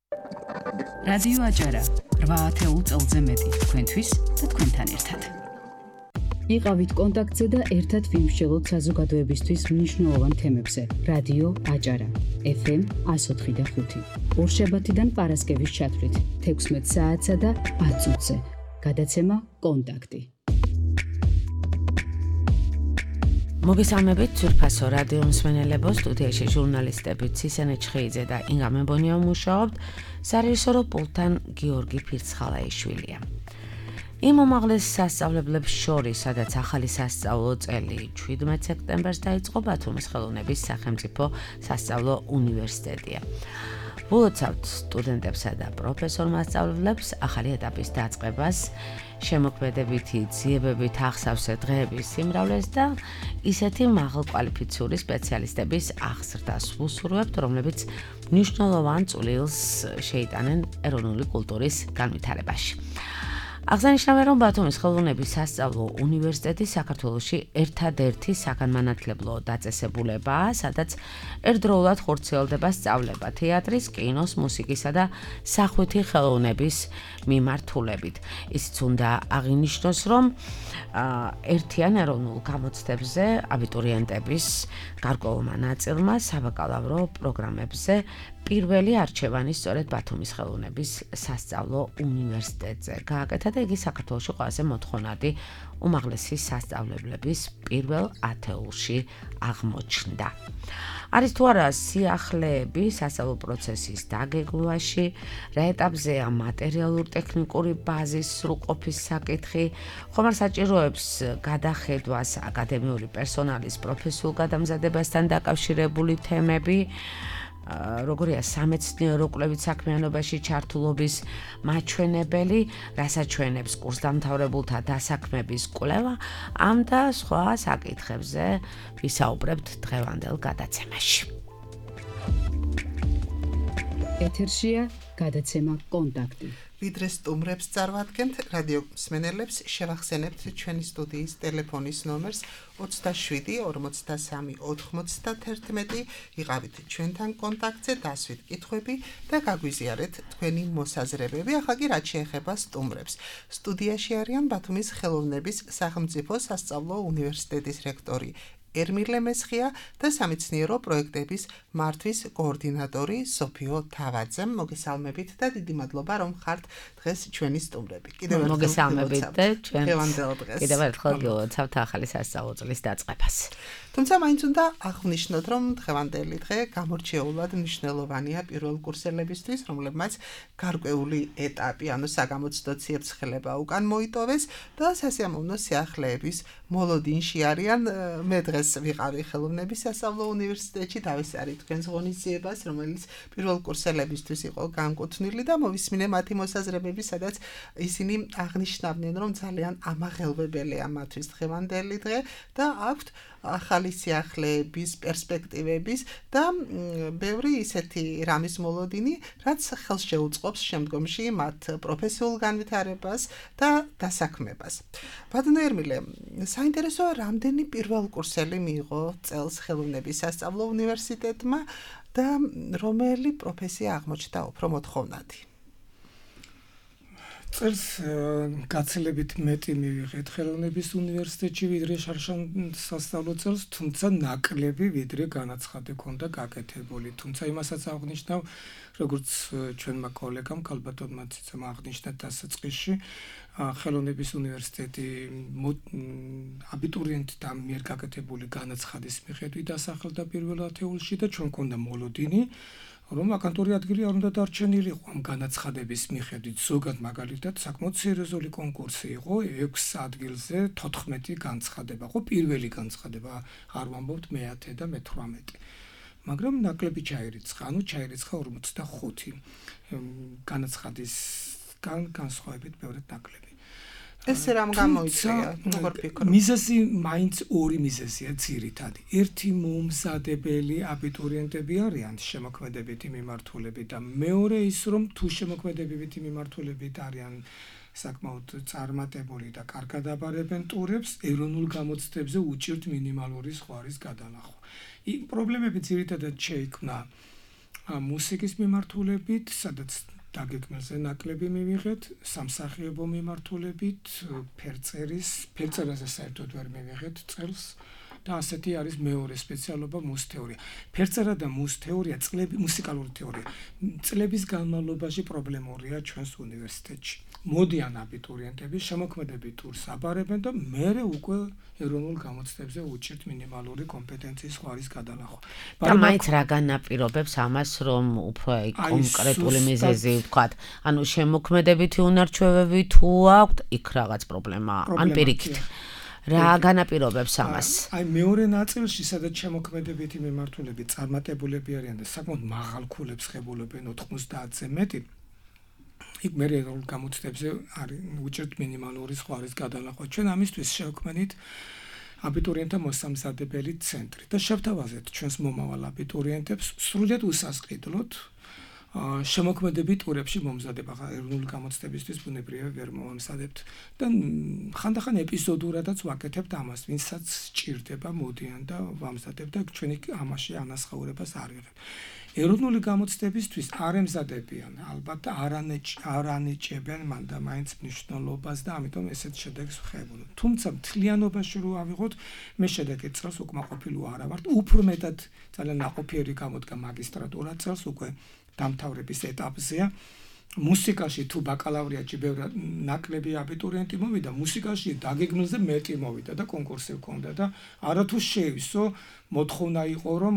რადიო აჭარა 8 წელზე მეტი თქვენთვის და თქვენთან ერთად. იყავით კონტაქტზე და ერთად ვიმსჯელოთ საზოგადოებისთვის მნიშვნელოვან თემებზე. რადიო აჭარა FM 104.5 ორშაბათიდან პარასკევის ჩათვლით 16 საათსა და 10 წუთზე. გადაცემა კონტაქტი. მოგესალმებით ძვირფასო რადიო მსმენელებო, სტუდიაში ჟურნალისტები ცისენე ჩხეიძე და ინგა მებონია მუშაობთ, სარეჟისორო პულტთან გიორგი ფირცხალაიშვილია. იმ უმაღლეს სასწავლებლებს შორის, სადაც ახალი სასწავლო წელი 17 სექტემბერს დაიწყო, ბათუმის ხელოვნების სახელმწიფო სასწავლო უნივერსიტეტია. ულოცავთ სტუდენტებსა და პროფესორ მასწავლებლებს ახალი ეტაპის დაწყებას, შემოქმედებითი ძიებებით ახსავსე დღეების სიმრავლეს და ისეთი მაღალკვალიფიციური სპეციალისტების აღზრდას ვუსურვებთ, რომლებიც მნიშვნელოვან წვლილს შეიტანენ ეროვნული კულტურის განვითარებაში. აღსანიშნავია, რომ ბათუმის ხელოვნების სასწავლო უნივერსიტეტი საქართველოში ერთადერთი საგანმანათლებლო დაწესებულებაა, სადაც ერთდროულად ხორციელდება სწავლება თეატრის, კინოს, მუსიკისა და სახვითი ხელოვნების მიმართულებით. ისიც უნდა აღინიშნოს, რომ ერთიან ეროვნულ გამოცდებზე აბიტურიენტების გარკვეულმა ნაწილმა საბაკალავრო პროგრამებზე პირველი არჩევანი სწორედ ბათუმის ხელოვნების სასწავლო უნივერსიტეტზე გააკეთა და იგი საქართველოში ყველაზე მოთხოვნადი უმაღლესი სასწავლებლების პირველ ათეულში აღმოჩნდა. არის თუ არა სიახლეები სასწავლო პროცესის დაგეგმვაში, რა ეტაპზეა მატერიალურ-ტექნიკური ბაზის სრულყოფის საკითხი, ხომ არ საჭიროებს გადახედვას აკადემიური პერსონალის პროფესიულ გადამზადებასთან დაკავშირებული თემები, როგორია სამეცნიერო კვლევით საქმიანობაში ჩართულობის მაჩვენებელი, რასაჩვენებს კურსდამთავრებულთა დასაქმების კვლევა, ამ და სხვა საკითხებზე ვისაუბრებთ დღევანდელ გადაცემაში. ეთერშია გადაცემა კონტაქტი. ვიდრე სტუმრებს წარვადგენთ, რადიო მსმენელებს შევახსენებთ ჩვენი სტუდიის ტელეფონის ნომერს 27 43 91. იყავით ჩვენთან კონტაქტზე, დასვით კითხვები და გაგვიზიარეთ თქვენი მოსაზრებები. ახლა კი რაც შეეხება სტუმრებს. სტუდიაში არიან ბათუმის ხელოვნების სახელმწიფო სასწავლო უნივერსიტეტის რექტორი ერმილე მესხია და სამეცნიერო პროექტების მართვის კოორდინატორი სოფიო თავაძე. მოგესალმებით და დიდი მადლობა, რომ ხართ დღეს ჩვენი სტუმრები. მოგესალმებით და ჩვენ დღეს კიდევ ერთხელ გილოცავთ ახალი სასწავლო წლის დაწყებას. თუმცა მაინც უნდა აღვნიშნოთ, რომ დღევანდელი დღე გამორჩეულად მნიშვნელოვანია პირველ კურსელებისთვის, რომლებმაც გარკვეული ეტაპი, ანუ საგამოცდო ციებ-ცხელება უკან მოიტოვეს და სასიამოვნო სიახლეების მოლოდინში არიან. მე დღეს ვიყავი ხელოვნების სასწავლო უნივერსიტეტში, დავესწარი თქვენს ღონისძიებას, რომელიც პირველ კურსელებისთვის იყო განკუთვნილი და მოვისმინე მათი მოსაზრებები, სადაც ისინი აღნიშნავდნენ, რომ ძალიან ამაღელვებელია მათთვის დღევანდელი დღე და აქვთ ახალი სიახლეების, პერსპექტივების და ბევრი ისეთი რამის მოლოდინი, რაც ხელს შეუწყობს შემდგომში მათ პროფესიულ განვითარებას და დასაქმებას. ბატონო ერმილე, საინტერესოა, რამდენი პირველ კურსელი მიიღო წელს ხელოვნების სასწავლო უნივერსიტეტმა და რომელი პროფესია აღმოჩნდა უფრო მოთხოვნადი? წელს გაცილებით მეტი მივიღეთ ხელოვნების უნივერსიტეტში ვიდრე შარშან სასწავლო წელს, თუმცა ნაკლები ვიდრე განაცხადი ქონდა გაკეთებული. თუმცა იმასაც აღნიშნავ, როგორც ჩვენმა კოლეგამ ქალბატონმა ციცამ აღნიშნა დასაწყისში, ხელოვნების უნივერსიტეტი აბიტურიენტთა მიერ გაკეთებული განაცხადის მიხედვით დასახელდა პირველ ათეულში და ჩვენ ქონდა მოლოდინი, რომ ვაკანტური ადგილი არ უნდა დარჩენილიყო ამ განაცხადების მიხედვით. ზოგად მაგალითად საკმაოდ სერიოზული კონკურსი იყო, 6 ადგილზე 14 განცხადება, ხო პირველი განცხადება, არ ვამბობთ მე-10 და მე-18. მაგრამ ნაკლები ჩაირიცხა, ანუ ჩაირიცხა 45 განაცხადისგან განსხვავებით ბევრად ნაკლები. ეს რამ გამოიწვია? როგორ ფიქრობ? მიზეზი მაინც ორი მიზეზია ძირითადი. ერთი მომზადებელი აბიტურიენტები არიან შემოქმედებითი მიმართულებით და მეორე ის, რომ თუ შემოქმედებითი მიმართულებით არიან საკმაოდ წარმატებული და კარგად აბარებენ ტურებს, ეროვნულ გამოცდებზე უჭირთ მინიმალური ზღვარის გადანახვა. პრობლემები ძირითადად შეიქმნა მუსიკის მიმართულებით, სადაც დაგეგმილზე ნაკლები მივიღეთ, სამსახიობო მიმართულებით, ფერწერაზე საერთოდ ვერ მივიღეთ წელს და ასეთი არის მეორე სპეციალობა მუსთეორია. ფერწერა და მუსთეორია, მუსიკალური თეორია. წლების განმავლობაში პრობლემურია ჩვენს უნივერსიტეტში. მოდიან აბიტურიენტები, შემოქმედებით ტურს აბარებენ და მერე უკვე ეროვნულ გამოცდებზე უჭირთ მინიმალური კომპეტენციის ხარის გადალახვა. და მაინც რა განაპირობებს ამას, რომ უფრო კონკრეტული მიზეზი ვთქვათ, ანუ შემოქმედებითი უნარჩვევები თუ აქვთ, იქ რაღაც პრობლემაა, ან პირიქით. რა განაპირობებს ამას? აი მეორე ნაწილში, სადაც შემოქმედებითი მიმართულები წარმატებულები არიან და საკმაოდ მაღალ ქულებს ღებულობენ 90-ზე მეტი, იქ მე ეროვნულ გამოცდებზე არის უჭირთ მინიმალური ხარის გადალახვა. ჩვენ ამისთვის შევქმნით აბიტურიენტთა მოსამზადებელი ცენტრი და შევთავაზეთ ჩვენს მომავალ აბიტურიენტებს სრულიად უსასყიდლოდ შემოქმედებით ტურებში მომზადება. ეროვნული გამოცდებისთვის ბუნებრივია ვერ მომზადებთ და ხანდახან ეპიზოდურადაც ვაკეთებთ ამას, ვინცაც სჭირდება, მოდიან და ვამზადებთ და ჩვენი ამაში ანასხაურებას არ ვიღებთ. ეროვნული გამოცდებისთვის არ ემზადებიან, ალბათ არ ანიჭებენ მან და მაინც მნიშვნელობას და ამიტომ ესეთ შედეგს ვხებულობ. თუმცა მთლიანობაში რო ავიღოთ, მე შედეგი წელს უკმაყოფილო არა ვარ. უფრო მეტად ძალიან ნაყოფიერი გამოდგა მაგისტრატურა წელს უკვე დამთავრების ეტაპზეა. მუსიკაში თუ ბაკალავრიატში ბევრად ნაკლები აბიტურიენტი მოვიდა, მუსიკაში დაგეგმილზე მეტი მოვიდა და კონკურსი ჰქონდა და არათუ შეივსო, მოთხოვნა იყო რომ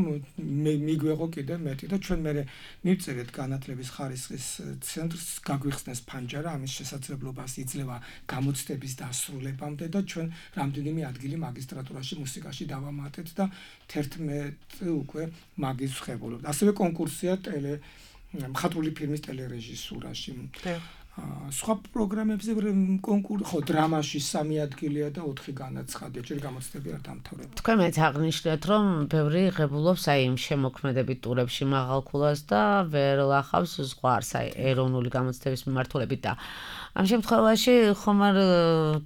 მიგვეღო კიდე მეტი და ჩვენ მე მივწერეთ განათლების ხარისხის ცენტრს გაგვიხსნეს ფანჯარა ამის შესაძლებლობას იძლევა გამოცდების დასრულებამდე და ჩვენ რამდენიმე ადგილი მაგისტრატურაში მუსიკაში დავამატეთ და 11 უკვე მაგის ვხებულობთ. ასევე კონკურსია მხატვრული ფილმის ტელერეჟისურაში. სხვა პროგრამებზე კონკურსი ხო დრამაში 3 ადგილია და 4 განაცხადია, ჯერ გამოცდები არ დამთავრდა. თქვენ მეც აღნიშნეთ, რომ ბევრი ღებულობს აი იმ შემოქმედებით ტურებში მაღალ ქულას და ვერ ლახავს ზღვარს აი ეროვნული გამოცდების მიმართულებით და ამ შემთხვევაში ხომ არ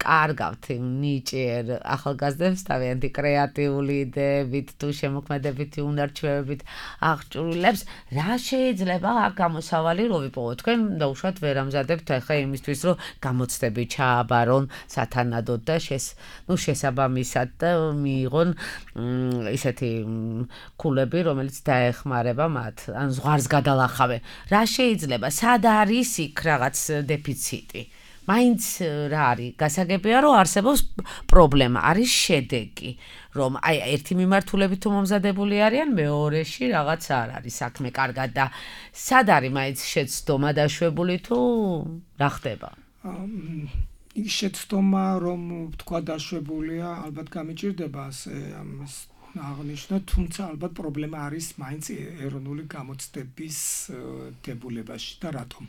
კარგავთ ნიჭიერ ახალგაზრდებს თავიანთი კრეატიული იდეებით თუ შემოქმედებითი უნარჩვევებით აღჭურვილებს, რა შეიძლება აქ გამოსავალი რო ვიპოვოთ? თქვენ დაუშვათ ვერ ამზადებთ ახლა იმისთვის, რომ გამოცდები ჩააბარონ სათანადოდ და შესაბამისად და მიიღონ ისეთი ქულები, რომელიც დაეხმარება მათ, ან ზღვარს გადალახავენ. რა შეიძლება? სად არის იქ რაღაც დეფიციტი? მაინც რა არის? გასაგებია, რომ არსებობს პრობლემა, არის შედეგი, რომ აი ერთი მიმართულებით თუ მომზადებული არიან, მეორეში რაღაც არ არის საქმე კარგად და სად არის მაინც შეცდომა დაშვებული თუ რა ხდება? ის შეცდომა, რომ თქვა დაშვებულია, ალბათ გამიჭირდება ამას აღნიშნოთ, თუმცა ალბათ პრობლემა არის მაინც ეროვნული გამოცდების დებულებაში და რატომ?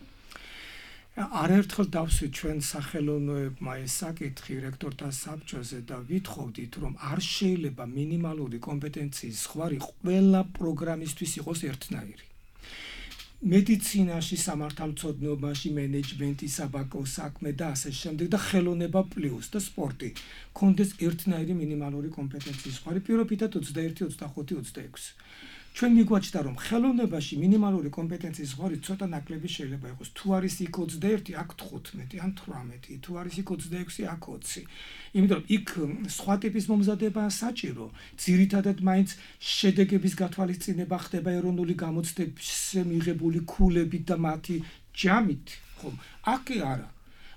არაერთხელ დავსვით ჩვენ სახელოვნოებმა ეს საკითხი რექტორთა საბჭოზე და ვითხოვდით, რომ არ შეიძლება მინიმალური კომპეტენციის ხარი ყველა პროგრამისთვის იყოს ერთნაირი. მედიცინაში, სამართალმცოდნეობაში, მენეჯმენტი, საბაკო საქმე და ასე შემდეგ და ხელოვნება პლუს და სპორტი კონდეს ერთნაირი მინიმალური კომპეტენციის ხარი, პირობითად 21, 25, 26. ჩვენ მიგვაჩნდა რომ ხელოვნებაში მინიმალური კომპეტენციის ხარი ცოტა ნაკლები შეიძლება იყოს. თუ არის იქ 21, აქ 15 ან 18, თუ არის იქ 26, აქ 20. იმიტომ რომ იქ სხვა ტიპის მომზადებაა საჭირო. ძირითადად მაინც შედეგების გათვალისწინება ხდება ეროვნული გამოცდებზე მიღებული ქულებით და მათი ჯამით, ხომ? აქ არა.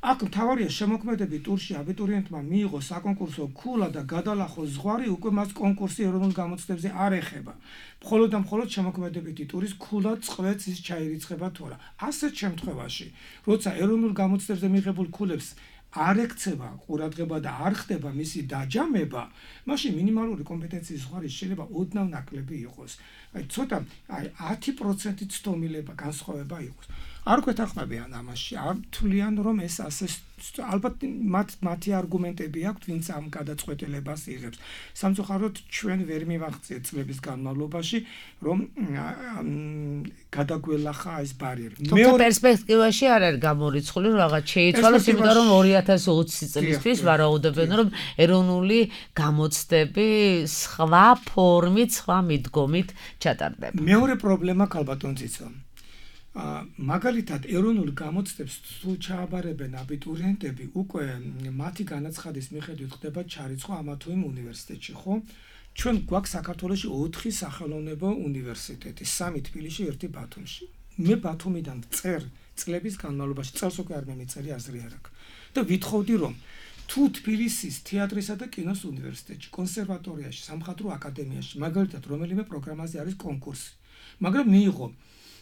აქ მთავარია შემოქმედებით ტურში აბიტურიენტმა მიიღოს საკონკურსო ქულა და გადალახოს ზღვარი, უკვე მას კონკურსი ეროვნულ გამოცდებზე არ ეხება. მხოლოდ და მხოლოდ შემოქმედებითი ტურის ქულა წყვეტს ის ჩაირიცხება თუ არა. ასეთ შემთხვევაში, როცა ეროვნულ გამოცდებზე მიღებულ ქულებს არ ექცევა ყურადღება და არ ხდება მისი დაჯამება, მაშინ მინიმალური კომპეტენციის ზღვარი შეიძლება ოდნავ ნაკლები იყოს. აი ცოტა 10% ცდომილება განსხვავება იყოს. არ გვეთანხმებიან ამაში, არ თვლიან რომ ეს ასე ალბათ მათი არგუმენტები აქვს, ვინც ამ გადაწყვეტილებას იღებს. სამწუხაროდ ჩვენ ვერ მივაღწიეთ წლების განმავლობაში, რომ გადაგველახა ეს ბარიერი. თუმცა პერსპექტივაში არ არის გამორიცხული, რომ რაღაც შეიცვალოს, იმიტომ რომ 2020 წლისთვის ვარაუდობენ, რომ ეროვნული გამოცდები სხვა ფორმით, სხვა მიდგომით ჩატარდება. მეორე პრობლემა ქალბატონ ციცო. მაგალითად ეროვნულ გამოცდებს თუ ჩააბარებენ აბიტურიენტები, უკვე მათი განაცხადის მიხედვით ხდება ჩარიცხვა ამა თუ იმ უნივერსიტეტში, ხო? ჩვენ გვაქვს საქართველოში 4 სახელოვნებო უნივერსიტეტი, 3 თბილისში, 1 ბათუმში. მე ბათუმიდან წერ წლების განმავლობაში წელს უკვე არ მიმიწერი აზრი არ აქვს. და ვითხოვდი რომ თუ თბილისის თეატრისა და კინოს უნივერსიტეტში, კონსერვატორიაში, სამხატვრო აკადემიაში, მაგალითად რომელიმე პროგრამაზე არის კონკურსი, მაგრამ მიიღო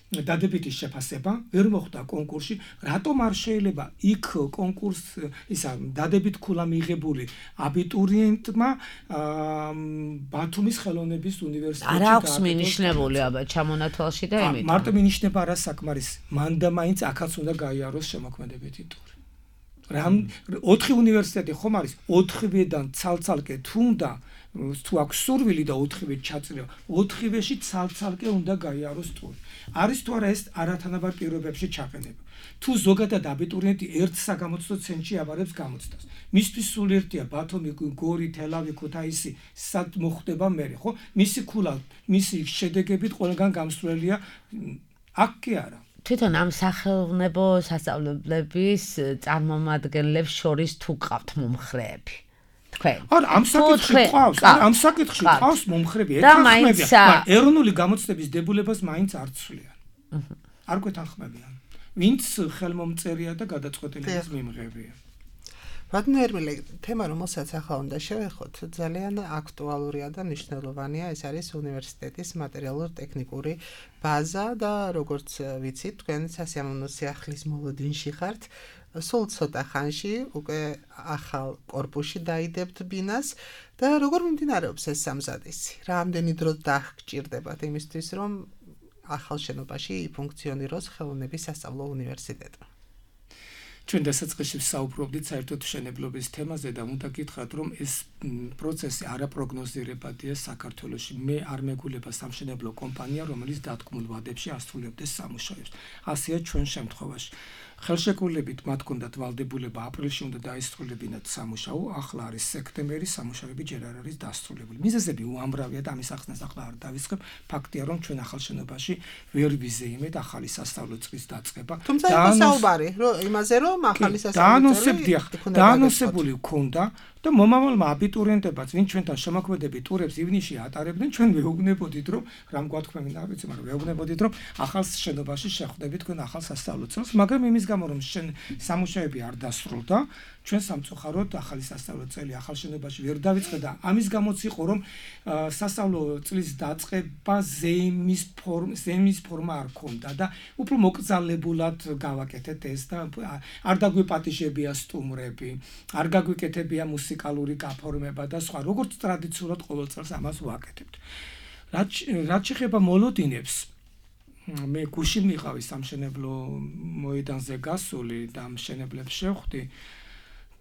დადებითი შეფასება, ვერ მოხვდა კონკურსში, რატომ არ შეიძლება იქ კონკურს ისა დადებით ქულა მიღებული აბიტურიენტმა ბათუმის ხელოვნების უნივერსიტეტში არ აქვს მინიშნებული აბა ჩამონათვალში და იმით. მარტო მინიშნება არა საკმარისი, მან და მაინც აქაც უნდა გაიაროს შემოქმედებითი ტური. რამ 4 უნივერსიტეტი ხომ არის 4-ვედან ცალ-ცალკე თუნდა თუ აქვს სურვილი და 4-ვე ჩაწრიო 4-ვეში ცალ-ცალკე უნდა გაიაროს ტური. არის თუ არა ეს არათანაბარ პირობებში ჩაყენება. თუ ზოგადად აბიტურიენტი ერთ საგამოცდო ცენტრში აბარებს გამოცდას. მისთვის სულ ერთია ბათუმი, გორი, თელავი, ქუთაისი, სად მოხდება მერე, ხო? მისი ქულა, მისი შედეგებით ყველგან გამსვლელია. აქ კი არა. თვითონ ამ სახელმწიფო სასწავლებლების წარმომადგენლებს შორის თუ ყავთ მომხრეები. თქვენ. ამ საკითხში ყავს, ამ საკითხში ყავს მომხრეები, ეთანხმებიან, მაგრამ ეროვნული გამოცდების დებულებას მაინც არ ცვლიან. არ გვეთანხმებიან. ვინც ხელმომწერია და გადაწყვეტილების მიმღებია. ბატონო ერმილე, თემა რომელსაც ახლა უნდა შევეხოთ, ძალიან აქტუალურია და მნიშვნელოვანია, ეს არის უნივერსიტეტის მატერიალურ-ტექნიკური ბაზა და როგორც ვიცით, თქვენ სასიამოვნო სიახლის მოლოდინში ხართ. სულ ცოტა ხანში უკვე ახალ კორპუსში დაიდებთ ბინას და როგორ მიმდინარეობს ეს სამზადისი? რამდენი დრო დაგჭირდებათ იმისთვის, რომ ახალ შენობაში იფუნქციონიროს ხელოვნების სასწავლო უნივერსიტეტი? ჩვენ დასაწყისში საუბრობდით საერთოდ მშენებლობის თემაზე და უნდა გითხრათ, რომ ეს პროცესი არაპროგნოზირებადია საქართველოში. მე არ მეგულება სამშენებლო კომპანია, რომელიც დათქმულ ვადებში ასრულებდეს სამუშაოებს. ასეა ჩვენ შემთხვევაში. ხელშეკრულებით მათ ჰქონდათ ვალდებულება აპრილში უნდა დაესრულებინათ სამუშაო, ახლა არის სექტემბერი, სამუშაოები ჯერ არ არის დასრულებული. მიზეზები უამრავია და ამის ახსნას ახლა არ დავიწყებ. ფაქტია, რომ ჩვენ ახალ შენობაში ვერ ვიზეიმეთ ახალი სასწავლო წლის დაწყება. თუმცა იყო საუბარი, რომ იმაზე რომ ახალი სასწავლო წელი დაანონსებული ჰქონდა და მომავალმა აბიტურიენტებაც, ვინც ჩვენთან შემოქმედებით ტურებს ივნისში ატარებდნენ, ჩვენ ვეუბნებოდით, რომ რამ გვათქმევენ, არ ვიცი, მაგრამ ვეუბნებოდით, რომ ახალ შენობაში შეხვდებით თქვენ ახალ სასწავლო წელს, მაგრამ იმის გამო რომ სამუშაოები არ დასრულდა, ჩვენ სამწუხაროდ ახალი სასწავლო წელი ახალ შენობაში ვერ დავიწყე და ამის გამოც იყო რომ სასწავლო წლის დაწყება ზეიმის ფორმა არ ქონდა და უფრო მოკრძალებულად გავაკეთეთ ეს და არ დაგვიპატიჟებია სტუმრები, არ გაგვიკეთებია მუსიკალური გაფორმება და სხვა, როგორც ტრადიციულად ყოველ წელს ამას ვაკეთებთ. რაც შეეხება მოლოდინებს, მე გუშინ მიყავი სამშენებლო მოედანზე გასული და მშენებლებს შევხვდი.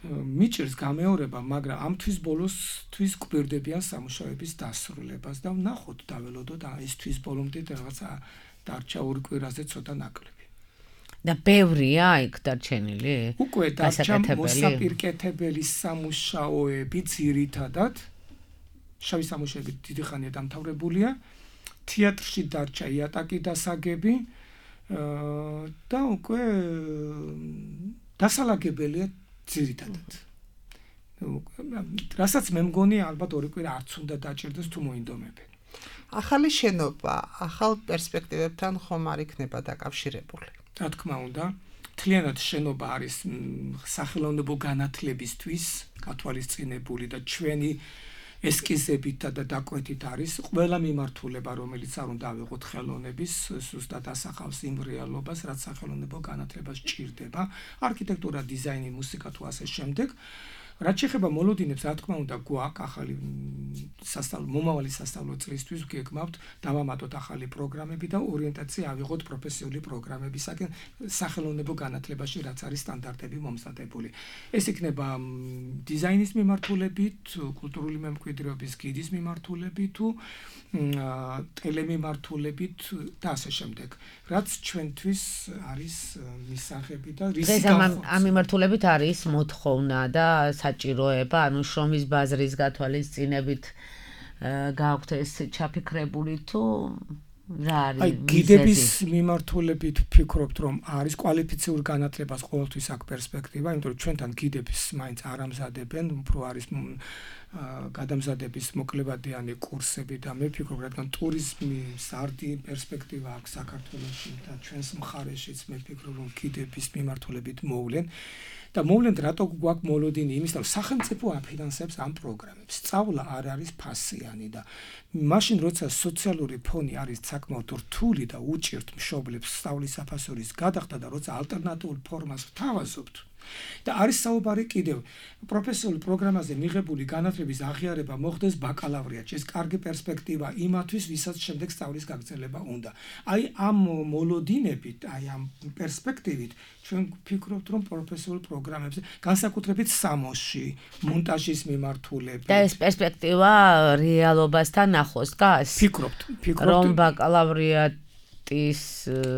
მიჭირს გამეორება, მაგრამ ამ თვის ბოლოს თვის გვერდებიან სამუშაოების დასრულებას და ვნახოთ დაველოდოთ ეს თვის ბოლომდე რაღაცა დარჩა ორ კვირაზე ცოტა ნაკლები. და ბევრია იქ დარჩენილი? უკვე დარჩა მოსაპირკეთებელი სამუშაოები ძირითადად. შავი სამუშაოები დიდი ხანია დამთავრებულია. თეატრში დარჩა იატაკი დასაგები და უკვე დასალაგებელია ძირითადად. რასაც მე მგონი ალბათ ორი კვირა არც უნდა დაჭირდეს თუ მოინდომებენ. ახალი შენობა, ახალ პერსპექტივებთან ხომ არ იქნება დაკავშირებული? რა თქმა უნდა, მთლიანად შენობა არის სახელოვნებო განათლებისთვის გათვალისწინებული და ჩვენი ესკიზებით და დაკვეთით არის ყველა მიმართულება, რომელიც არ უნდა ავიღოთ ხელოვნების, ზუსტად ასახავს იმ რეალობას, რაც სახელოვნებო განათლებას ჭირდება, არქიტექტურა, დიზაინი, მუსიკა თუ ასე შემდეგ. რაც შეეხება მოლოდინებს, რა თქმა უნდა, გვაქვს ახალი მომავალი სასწავლო წლისთვის გეგმავთ დავამატოთ ახალი პროგრამები და ორიენტაცია ავიღოთ პროფესიული პროგრამებისაკენ სახელოვნებო განათლებაში, რაც არის სტანდარტები მომზადებული. ეს იქნება დიზაინის მიმართულებით, კულტურული მემკვიდრეობის გიდის მიმართულებით თუ ტელემიმართულებით და ასე შემდეგ. რაც ჩვენთვის არის მისაღები და რისი ამ მიმართულებით არის მოთხოვნა და საჭიროება, ანუ შრომის ბაზრის გათვალისწინებით გააქვთ ეს ჩაფიქრებული თუ რა არის? აი გიდების მიმართულებით ვფიქრობთ, რომ არის კვალიფიციური განათლებას ყოველთვის აქვს პერსპექტივა, იმიტომ რომ ჩვენთან გიდებს მაინც არ ამზადებენ, უფრო არის გადამზადების მოკლებადიანი კურსები და მე ვფიქრობ, რადგან ტურიზმის არდი პერსპექტივა აქვს საქართველოში და ჩვენს მხარეშიც მე ვფიქრობ, რომ გიდების მიმართულებით მოვლენ. და მოვლენთ რატო გვაქვს მოლოდინი იმის, რომ სახელმწიფო აფინანსებს ამ პროგრამებს. სწავლა არ არის ფასიანი და მაშინ როცა სოციალური ფონი არის საკმაოდ რთული და უჭირთ მშობლებს სწავლის საფასურის გადახდა და როცა ალტერნატიულ ფორმას ვთავაზობთ და არის საუბარი კიდევ პროფესიული პროგრამაზე მიღებული განათლების აღიარება მოხდეს ბაკალავრიატში. ეს კარგი პერსპექტივა იმათვის, ვისაც შემდეგ სწავლის გაგრძელება უნდა. აი ამ მოლოდინებით, აი ამ პერსპექტივით ჩვენ ვფიქრობთ, რომ პროფესიულ პროგრამებზე, განსაკუთრებით სამოსში, მონტაჟის მიმართულებით და ეს პერსპექტივა რეალობასთან ახლოს დგას? ვფიქრობთ, რომ ბაკალავრიატის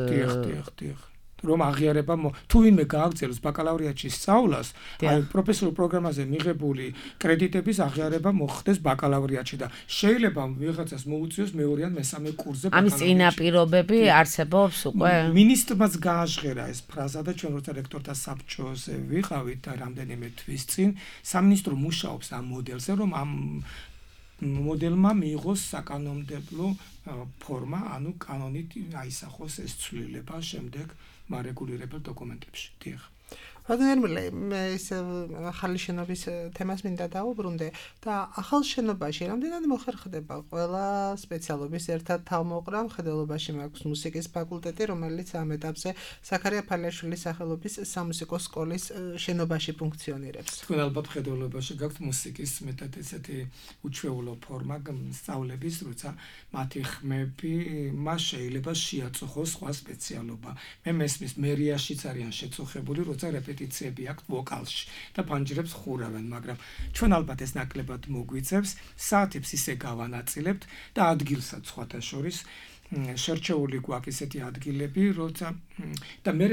დიახ. რომ აღიარება თუ ვინმე გააგრძელოს ბაკალავრიატში სწავლას, აი პროფესიულ პროგრამაზე მიღებული კრედიტების აღიარება მოხდეს ბაკალავრიატში და შეიძლება ვიღაცას მოუწიოს მეორე ან მესამე კურსზე ბაკალავრიატში. ამის წინაპირობები არსებობს უკვე? მინისტრმაც გააჟღერა ეს ფრაზა და ჩვენ როცა რექტორთა საბჭოზე ვიყავით და რამდენიმე თვის წინ სამინისტრო მუშაობს ამ მოდელზე, რომ ამ მოდელმა მიიღოს საკანონმდებლო ფორმა, ანუ კანონით აისახოს ეს ცვლილება შემდეგ მარეგულირებელ დოკუმენტებში. დიახ. რადგან მე ეს ახალი შენობის თემას მინდა დაუბრუნდე და ახალ შენობაში რამდენად მოხერხდება ყველა სპეციალობის ერთად თავმოყრა, მხედველობაში მაქვს მუსიკის ფაკულტეტი, რომელიც ამ ეტაპზე ზაქარია ფალიაშვილის სახელობის სამუსიკო სკოლის შენობაში ფუნქციონირებს. თქვენ ალბათ მხედველობაში გაქვთ მუსიკის მეტად ესეთი უჩვეულო ფორმა სწავლების, როცა მათი ხმები მას შეიძლება შეაწუხოს სხვა სპეციალობა. მე მესმის მერიაშიც არიან შეწუხებული, როცა რეპეტიციები აქვს ვოკალში და ფანჯრებს ხურავენ, მაგრამ ჩვენ ალბათ ეს ნაკლებად მოგვიწევს, საათებს ისე გავანაწილებთ და ადგილსაც სხვათა შორის შერჩეული გვაქვს ესეთი ადგილები, როცა და მე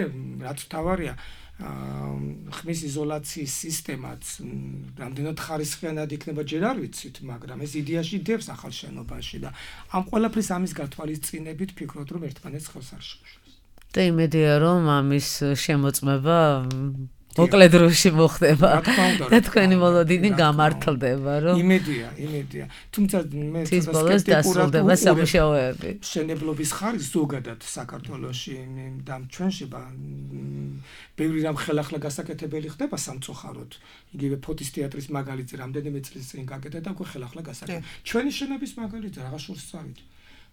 რაც თავარია ხმის იზოლაციის სისტემაც რამდენად ხარისხიანად იქნება ჯერ არ ვიცით, მაგრამ ეს იდეაში დევს ახალ შენობაში და ამ ყველაფრის ამის გათვალისწინებით ვფიქრობ, რომ ერთმანეთს ხელს არ შეუშვებს. და იმედია, რომ ამის შემოწმება მოკლე დროში მოხდება და თქვენი მოლოდინი გამართლდება, რომ იმედია. თუმცა მე ცის ბოლოს დასრულდება სამუშაოები. მშენებლობის ხარისხი ზოგადად საქართველოში და ჩვენში ბევრი რამ ხელახლა გასაკეთებელი ხდება სამწუხაროდ. იგივე ფოთის თეატრის მაგალითზე რამდენიმე წლის წინ გაკეთდა და უკვე ხელახლა გასაკეთდა. ჩვენი შენობის მაგალითზე რაღაც შორს წავით.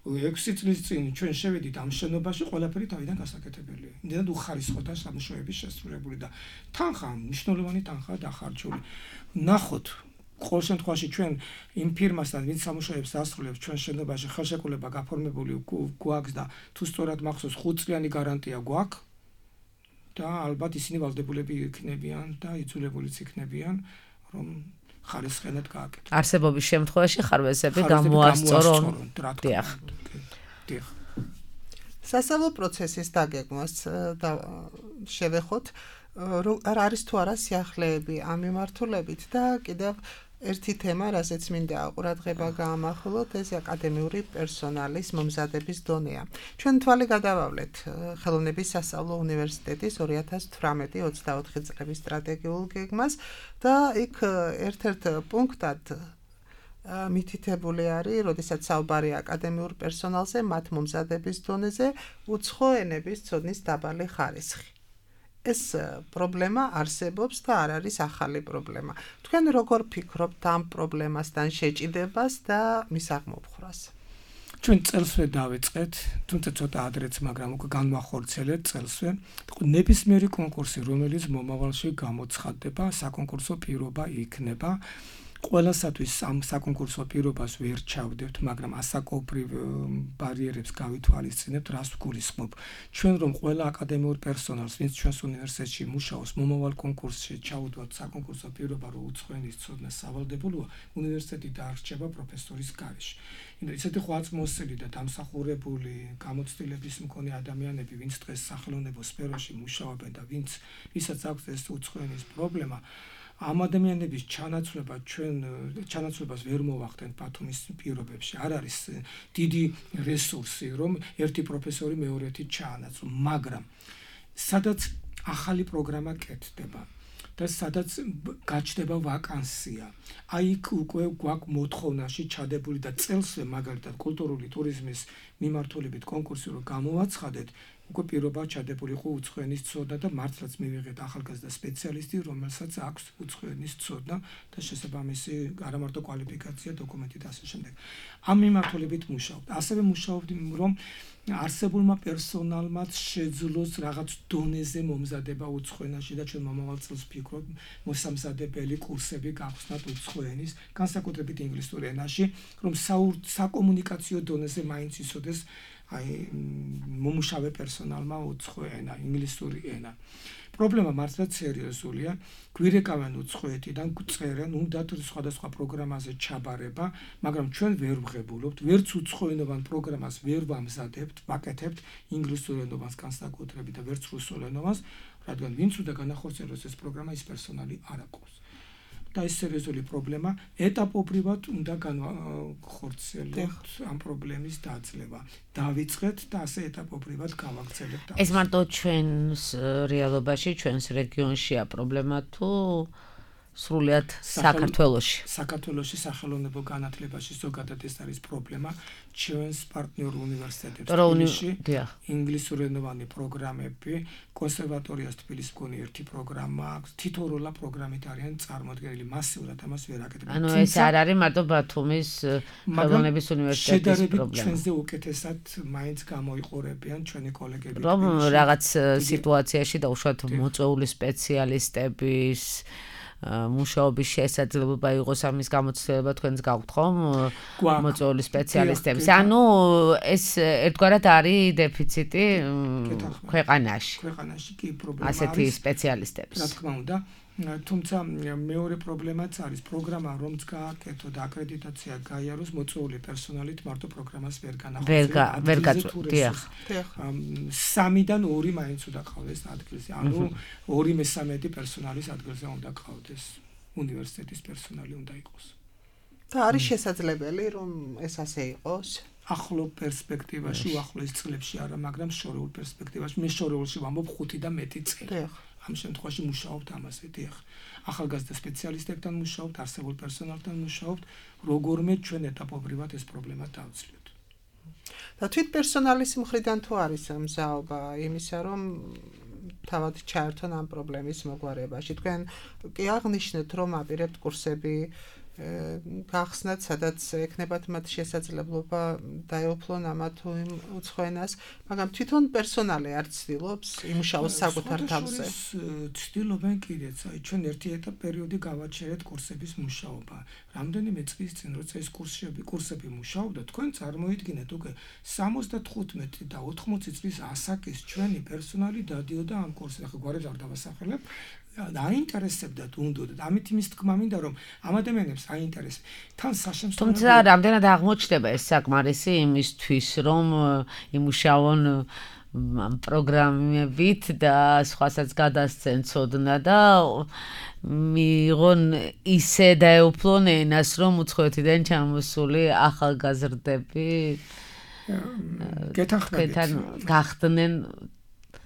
6 წლის წინ ჩვენ შევედით ამ შენობაში, ყველაფერი თავიდან გასაკეთებელია. იმდენად უხარისხოთა სამუშაოების შესრულებული და თანხა, მნიშვნელოვანი თანხა დახარჯული. ნახოთ, ყოველ შემთხვევაში ჩვენ იმ ფირმასთან, ვინც სამუშაოებს ასრულებს ჩვენ შენობაში, ხელშეკრულება გაფორმებული გვაქვს და თუ სწორად მახსოვს 5 წლიანი გარანტია გვაქვს და ალბათ ისინი ვალდებულები იქნებიან და იძულებულიც იქნებიან, რომ ხარისხენად გააკეთო. არსებობის შემთხვევაში ხარვეზები გამოასწორონ. დიახ. სასწავლო პროცესის დაგეგმვას და შევეხოთ, არ არის თუ არა სიახლეები ამ მიმართულებით და კიდევ ერთი თემა, რასაც მინდა ყურადღება გაამახვილოთ, ეს აკადემიური პერსონალის მომზადების დონეა. ჩვენ თვალი გადავავლეთ ხელოვნების სასწავლო უნივერსიტეტის 2018-24 წლების სტრატეგიულ გეგმას და იქ ერთ-ერთ პუნქტად მითითებული არის, როდესაც საუბარია აკადემიურ პერსონალზე, მათ მომზადების დონეზე, უცხო ენების ცოდნის დაბალი ხარისხი. ეს პრობლემა არსებობს და არ არის ახალი პრობლემა. თქვენ როგორ ფიქრობთ ამ პრობლემასთან შეჭიდებას და მის აღმოფხვრას? ჩვენ წელსვე დავიწყეთ, თუმცა ცოტა ადრეც, მაგრამ უკვე განვახორციელეთ წელსვე. ნებისმიერი კონკურსი, რომელიც მომავალში გამოცხადდება, საკონკურსო პირობა იქნება. ყველასათვის ამ საკონკურსო პირობას ვერ ჩავდებთ, მაგრამ ასაკობრივ ბარიერებს გავითვალისწინებთ, რას ვგულისხმობ. ჩვენ რომ ყველა აკადემიურ პერსონალს, ვინც ჩვენს უნივერსიტეტში მუშაობს, მომავალ კონკურსში ჩაუდვათ საკონკურსო პირობა, რომ უცხოენის ცოდნა სავალდებულოა, უნივერსიტეტი დაარჩება პროფესორის გარეშე. ისეთი ხვაწმოსილი და დამსახურებული გამოცდილების მქონე ადამიანები, ვინც დღეს სახელმწიფო სფეროში მუშაობენ და ვისაც აქვს ეს უცხოენის პრობლემა, ამ ადამიანების ჩანაცვლებას ვერ მოვახდენთ ბათუმის პირობებში. არ არის დიდი რესურსი, რომ ერთი პროფესორი მეორეთი ჩაანაცვლო, მაგრამ სადაც ახალი პროგრამა კეთდება და სადაც გაჩნდება ვაკანსია. აი იქ უკვე გვაქვს მოთხოვნაში ჩადებული და წელსვე მაგალითად კულტურული ტურიზმის მიმართულებით კონკურსი რომ გამოვაცხადეთ, უკვე პირობა ჩადებული იყო უცხოენის ცოდნა და მართლაც მივიღეთ ახალგაზრდა სპეციალისტი, რომელსაც აქვს უცხოენის ცოდნა და შესაბამისი არა მარტო კვალიფიკაცია, დოკუმენტი და ასე შემდეგ. ამ მიმართულებით მუშაობთ. ასევე მუშაობთ, რომ არსებულმა პერსონალმა შეძლოს რაღაც დონეზე მომზადება უცხოენაში და ჩვენ მომავალ წელს ვფიქრობთ მოსამზადებელი კურსები გავხსნათ უცხოენის, განსაკუთრებით ინგლისურ ენაში, რომ საკომუნიკაციო დონეზე მაინც იცოდეს მომუშავე პერსონალმა უცხო ენა, ინგლისური ენა. პრობლემა მართლაც სერიოზულია. გვირეკავენ უცხოეთიდან, წერენ, უნდათ სხვადასხვა პროგრამაზე ჩაბარება, მაგრამ ჩვენ ვერ ვღებულობთ, ვერც უცხოენოვან პროგრამას ვერ ვამზადებთ, ვაკეთებთ ინგლისურენოვანს განსაკუთრებით და ვერც რუსულენოვანს, რადგან ვინც უნდა განახორციელოს ეს პროგრამა, ის პერსონალი არ აქვს. და ეს სერიოზული პრობლემა ეტაპობრივად უნდა განახორციელოთ ამ პრობლემის დაძლევა. დავიწყეთ და ასე ეტაპობრივად გავაგრძელებთ. ეს მარტო ჩვენს რეალობაში, ჩვენს რეგიონშია პრობლემა თუ სრულიად საქართველოში? საქართველოში სახელმწიფო განათლებაში ზოგადად ეს არის პრობლემა. ჩვენს პარტნიორ უნივერსიტეტებში ინგლისურენოვანი პროგრამები, კონსერვატორიას თბილისის მქონე ერთი პროგრამა აქვს, თითოეულა პროგრამით არიან წარმოდგენილი, მასიურად ამას ვერ აკეთებენ. ანუ ეს არ არის მარტო ბათუმის ხელოვნების უნივერსიტეტის პრობლემა. ჩვენზე უკეთესად მაინც გამოიყურებიან ჩვენი კოლეგები. რომ რაღაც სიტუაციაში და უშუალოდ მოწვეული სპეციალისტების მუშაობის შესაძლებლობა იყოს ამის გამოცდილება თქვენს გაქვთ ხომ მოწვეული სპეციალისტების. ანუ ეს ერთგვარად არის დეფიციტი ქვეყანაში. ქვეყანაში კი პრობლემა არის ასეთი სპეციალისტების. რა თქმა უნდა, თუმცა მეორე პრობლემაც არის პროგრამა რომც გააკეთო და აკრედიტაცია გაიაროს მოწვეული პერსონალით მარტო პროგრამას ვერ განახორციელებდა. 3-დან 2 მაინც უნდა ყავდეს ადგილზე. ანუ 2/3 პერსონალის ადგილზე უნდა ყავდეს. უნივერსიტეტის პერსონალი უნდა იყოს. და არის შესაძლებელი რომ ეს ასე იყოს? ახლო პერსპექტივაში, უახლოეს წლებში არა, მაგრამ შორეულ პერსპექტივაში, მე შორეულში ვამბობ 5 და მეტი წელი. ამ შემთხვევაში მუშაობთ ამაზე, დიახ. ახალგაზრდა სპეციალისტებთან მუშაობთ, არსებულ პერსონალთან მუშაობთ, როგორმე ჩვენ ეტაპობრივად ეს პრობლემა დავწლიოთ. და თვით პერსონალის მხრიდან თუ არის მზაობა იმისა, რომ თავად ჩაერთონ ამ პრობლემის მოგვარებაში. თქვენ კი აღნიშნეთ, რომ აპირებთ კურსები გახსნათ, სადაც ექნებათ მათ შესაძლებლობა დაეუფლონ ამა თუ იმ უცხოენას, მაგრამ თვითონ პერსონალი არ ცდილობს იმუშაოს საკუთარ თავზე. ცდილობენ კიდეც, აი ჩვენ ერთი პერიოდი გავაჩერეთ კურსების მუშაობა. რამდენიმე წლის წინ, როცა ეს კურსები მუშაობდა, თქვენ წარმოიდგინეთ უკვე 75 და 80 წლის ასაკის ჩვენი პერსონალი დადიოდა ამ კურსზე. ახლა გვარებს არ დავასახელებ. აინტერესებდათ უნდათ. ამით იმის თქმა მინდა რომ ამ ადამიანებს აინტერესებს. თან საშემსრულებლო თუმცა რამდენად აღმოჩნდება ეს საკმარისი იმისთვის რომ იმუშაონ პროგრამებით და სხვასაც გადასცენ ცოდნა და მიიღონ ისე დაეუფლონ ენას რომ უცხოეთიდან ჩამოსული ახალგაზრდები გახდნენ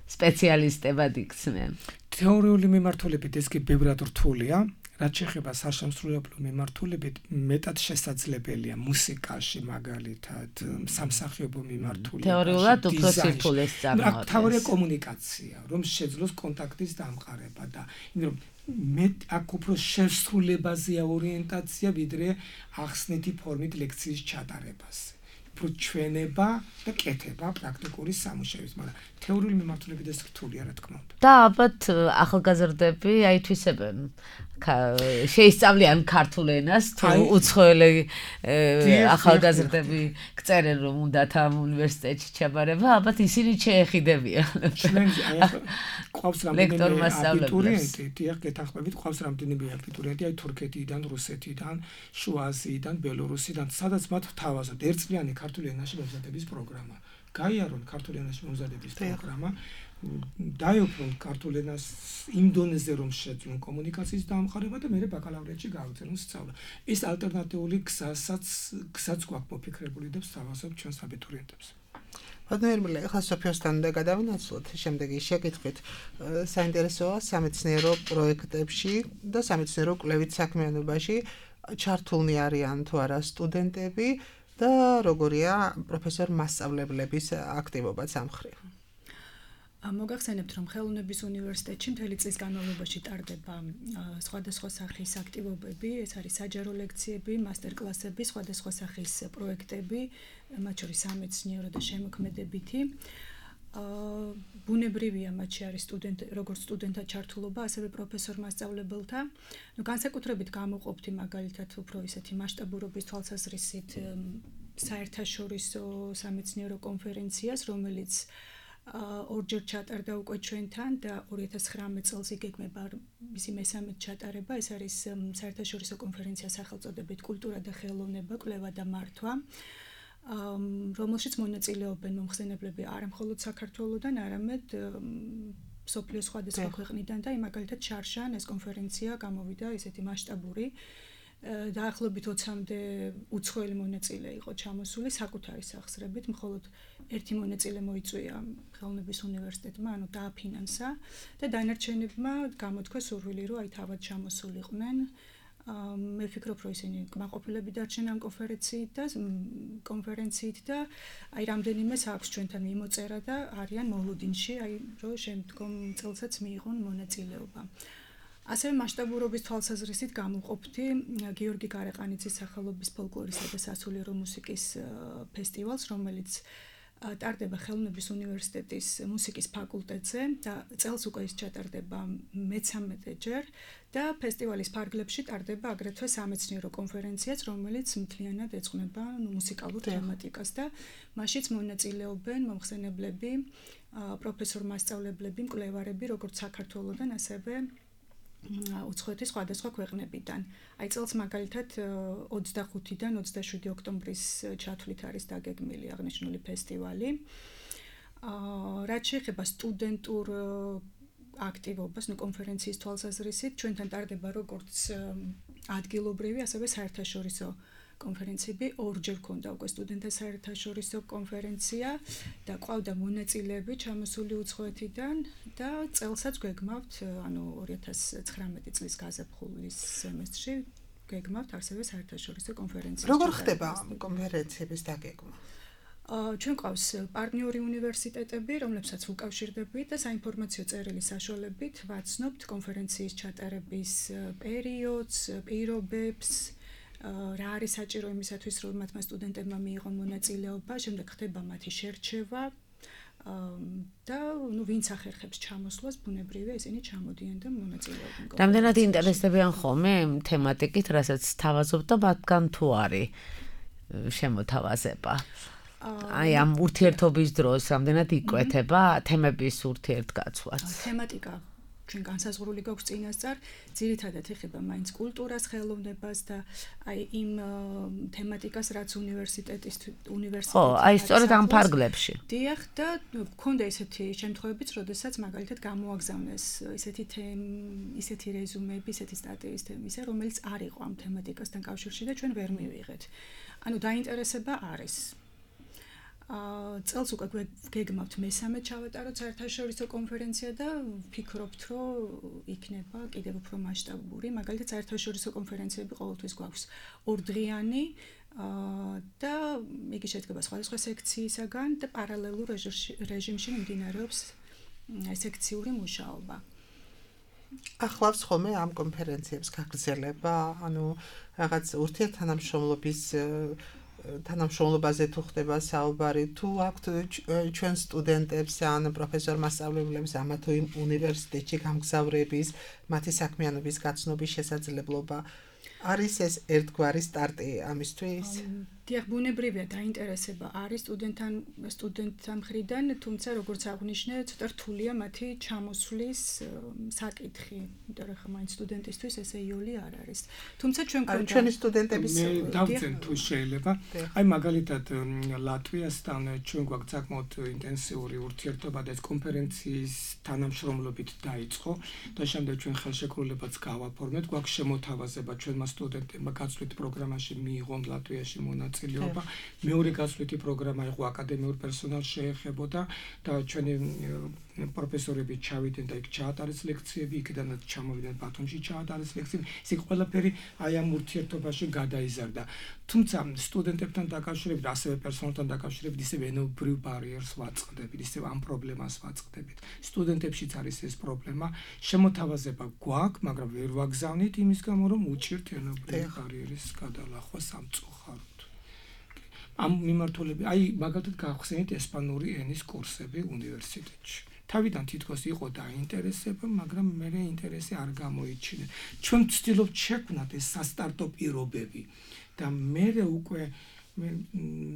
სპეციალისტებად იქცნენ. თეორიული მიმართულებით ეს კი ბევრად რთულია, რაც შეეხება საშემსრულებლო მიმართულებით, მეტად შესაძლებელია მუსიკაში მაგალითად, სამსახიობო მიმართულებით. თეორიულად უფრო სირთულეს წარმოადგენს. თავია კომუნიკაცია, რომ შეძლოს კონტაქტის დამყარება და იმიტომ რომ აქ უფრო შესრულებაზეა ორიენტაცია, ვიდრე ახსნეთი ფორმით ლექციის ჩატარებაზე. უფრო ჩვენება და კეთება პრაქტიკული სამუშაოების, მაგრამ თეორიული მიმართულებით ეს რთულია, რა თქმა უნდა. და ალბათ ახალგაზრდები აითვისებენ შეისწავლიან ქართულ ენას თუ უცხოელი ახალგაზრდები გწერენ რომ უნდათ ამ უნივერსიტეტში ჩაბარება, ალბათ ისინი შეეხიდებიან. ჩვენ ყავს რამდენიმე აბიტურიენტი, დიახ, გეთანხმებით, ყავს რამდენიმე აბიტურიენტი, აი თურქეთიდან, რუსეთიდან, შუა აზიიდან, ბელორუსიდან, სადაც მათ თავაზობთ ერთწლიანი ქართული ენაში მომზადების პროგრამა. გაიარონ ქართული ენაში მომზადების პროგრამა. დაეუფლონ ქართულ ენას იმ დონეზე რომ შეძლონ კომუნიკაციის დამყარება და მერე ბაკალავრიატში გააგრძელონ სწავლა. ეს ალტერნატიული გზაც გვაქვს მოფიქრებული და ვსთავაზობ ჩვენს აბიტურიენტებს. ბატონერმილე, ახლა სოფიოსთან უნდა გადავინაცვლოთ შემდეგი შეკითხვით. საინტერესოა სამეცნიერო პროექტებში და სამეცნიერო კვლევით საქმიანობაში ჩართულნი არიან თუ არა სტუდენტები და როგორია პროფესორ მასწავლებლების აქტივობაც ამ მხრივ. მოგახსენებთ, რომ ხელოვნების უნივერსიტეტში მთელი წლის განმავლობაში ტარდება სხვადასხვა სახის აქტივობები, ეს არის საჯარო ლექციები, მასტერკლასები, სხვადასხვა სახის პროექტები, მათ შორის სამეცნიერო და შემოქმედებითი. ბუნებრივია მათში არის როგორც სტუდენტთა ჩართულობა, ასევე პროფესორ მასწავლებელთა. განსაკუთრებით გამოყოფთ მაგალითად უფრო ისეთი მასშტაბურობის თვალსაზრისით საერთაშორისო სამეცნიერო კონფერენციას, რომელიც ორჯერ ჩატარდა უკვე ჩვენთან და 2019 წელს იგეგმება მისი მესამე ჩატარება. ეს არის საერთაშორისო კონფერენცია სახელწოდებით კულტურა და ხელოვნება, კვლევა და მართვა, რომელშიც მონაწილეობენ მომხსენებლები არა მხოლოდ საქართველოდან, არამედ მსოფლიოს სხვადასხვა ქვეყნიდან და მაგალითად შარშან ეს კონფერენცია გამოვიდა ესეთი მასშტაბური. დაახლოებით 20-მდე უცხოელი მონაწილე იყო ჩამოსული საკუთარი სახსრებით, მხოლოდ ერთი მონაწილე მოიწვია ხელოვნების უნივერსიტეტმა, ანუ დააფინანსა და დანარჩენებმა გამოთქვა სურვილი, რომ აი თავად ჩამოსულიყვნენ. მე ვფიქრობ, რომ ისინი კმაყოფილები დარჩენ ამ კონფერენციით და აი რამდენიმეს აქვს ჩვენთან მიმოწერა და არიან მოლოდინში, აი რომ შემდგომ წელსაც მიიღონ მონაწილეობა. ასევე მასშტაბურობის თვალსაზრისით გამოვყოფთი გიორგი გარეყანიძის სახელობის ფოლკლორისა და სასულიერო მუსიკის ფესტივალს, რომელიც ტარდება ხელოვნების უნივერსიტეტის მუსიკის ფაკულტეტზე და წელს უკვე ის ჩატარდება მე-13 და ფესტივალის ფარგლებში ტარდება აგრეთვე სამეცნიერო კონფერენციაც, რომელიც მთლიანად ეძღვნება მუსიკალურ თემატიკას და მასშიც მონაწილეობენ მომხსენებლები, პროფესორ მასწავლებლები, მკვლევარები, როგორც საქართველოდან, ასევე უცხოეთის სხვადასხვა ქვეყნებიდან. აი წელს მაგალითად 25-დან 27 ოქტომბრის ჩათვლით არის დაგეგმილი აღნიშნული ფესტივალი. რაც შეეხება სტუდენტურ აქტივობას, კონფერენციის თვალსაზრისით, ჩვენთან ტარდება როგორც ადგილობრივი, ასევე საერთაშორისო კონფერენციები. ორჯერ ქონდა უკვე სტუდენტთა საერთაშორისო კონფერენცია და ყავდა მონაწილეები ჩამოსული უცხოეთიდან და წელსაც გვეგმავთ, ანუ 2019 წლის გაზაფხულის სემესტრში გვეგმავთ ასევე საერთაშორისო კონფერენცია. როგორ ხდება კონფერენციების დაგეგმა? ჩვენ ყავს პარტნიორი უნივერსიტეტები, რომლებსაც უკავშირდებით და საინფორმაციო წერილის საშუალებით ვაცნობთ კონფერენციის ჩატარების პერიოდს, პირობებს, რა არის საჭირო იმისათვის, რომ მათმა სტუდენტებმა მიიღონ მონაწილეობა, შემდეგ ხდება მათი შერჩევა და ვინც ახერხებს ჩამოსვლას, ბუნებრივია ისინი ჩამოდიან და მონაწილეობენ. რამდენად ინტერესდებიან ხოლმე თემატიკით, რასაც თავაზობთ და მათგან თუ არის შემოთავაზება? აი ამ ურთიერთობის დროს რამდენად იკვეთება თემების ურთიერთგაცვლაც? თემატიკა ჩვენ განსაზღვრული გვაქვს წინასწარ, ძირითადად ეხება მაინც კულტურას, ხელოვნებას და აი იმ თემატიკას, რაც უნივერსიტეტი ხო, აი სწორედ ამ ფარგლებში. დიახ და გქონდა ესეთი შემთხვევებიც, როდესაც მაგალითად გამოაგზავნეს ისეთი რეზუმეები, ისეთი სტატიის თემისა, რომელიც არ იყო ამ თემატიკასთან კავშირში და ჩვენ ვერ მივიღეთ. ანუ დაინტერესება არის. წელს უკვე გეგმავთ მე-13 ჩავატაროთ საერთაშორისო კონფერენცია და ვფიქრობთ, რომ იქნება კიდევ უფრო მასშტაბური. მაგალითად, საერთაშორისო კონფერენციები ყოველთვის გვაქვს ორდღიანი და იგი შედგება სხვადასხვა სექციისაგან და პარალელურ რეჟიმში მიმდინარეობს სექციური მუშაობა. ახლავს ხოლმე ამ კონფერენციებს გაგრძელება, ანუ რაღაც ურთიერთთანამშრომლობის თანამშრომლობაზე თუ ხდება საუბარი, თუ აქვთ ჩვენ სტუდენტებს ან პროფესორ მასწავლებლებს ამა თუ იმ უნივერსიტეტში გამგზავრების, მათი საქმიანობის გაცნობის შესაძლებლობა, არის ეს ერთგვარი სტარტი ამისთვის? დიახ, ბუნებრივია დაინტერესება არის სტუდენტთა მხრიდან, თუმცა როგორც აღვნიშნე, ცოტა რთულია მათი ჩამოსვლის საკითხი, იმიტომ რომ მაინც სტუდენტისთვის ესე იოლი არ არის. თუმცა ჩვენ გვქონდა ჩვენი სტუდენტების დავწენ თუ შეიძლება. აი მაგალითად ლატვიასთან ჩვენ გვაქვს საკმაოდ ინტენსიური ურთიერთობა და ეს კონფერენციის თანამშრომლობით დაიწყო და შემდეგ ჩვენ ხელშეკრულებაც გავაფორმეთ, გვაქვს შემოთავაზება ჩვენმა სტუდენტებმა გაცვლით პროგრამაში მიიღონ ლატვიაში მონაწილეობა. მეორე გაცვლითი პროგრამა იყო აკადემიურ პერსონალს შეეხებოდა და ჩვენი პროფესორები ჩავიდნენ და იქ ჩაატარეს ლექციები, იქიდანაც ჩამოვიდნენ ბათუმში ჩაატარეს ლექციები. ეს ყველაფერი აი ამ ურთიერთობაში გადაიზარდა. თუმცა სტუდენტებთან დაკავშირებით, ასევე პერსონალთან დაკავშირებით ისევ ენობრივ ბარიერს ვაწყდებით, ისევ ამ პრობლემას ვაწყდებით. სტუდენტებშიც არის ეს პრობლემა, შემოთავაზება გვაქვს, მაგრამ ვერ ვაგზავნით იმის გამო, რომ უჭირთ ენობრივ ბარიერის გადალახვა სამწუხაროდ. ამ მიმართულებით, აი მაგალითად გავხსენით ესპანური ენის კურსები უნივერსიტეტში. თავიდან თითქოს იყო დაინტერესება, მაგრამ მე ინტერესი არ გამოიჩინა. ჩვენ ვცდილობთ შექმნათ ეს სასტარტო პირობები და მე უკვე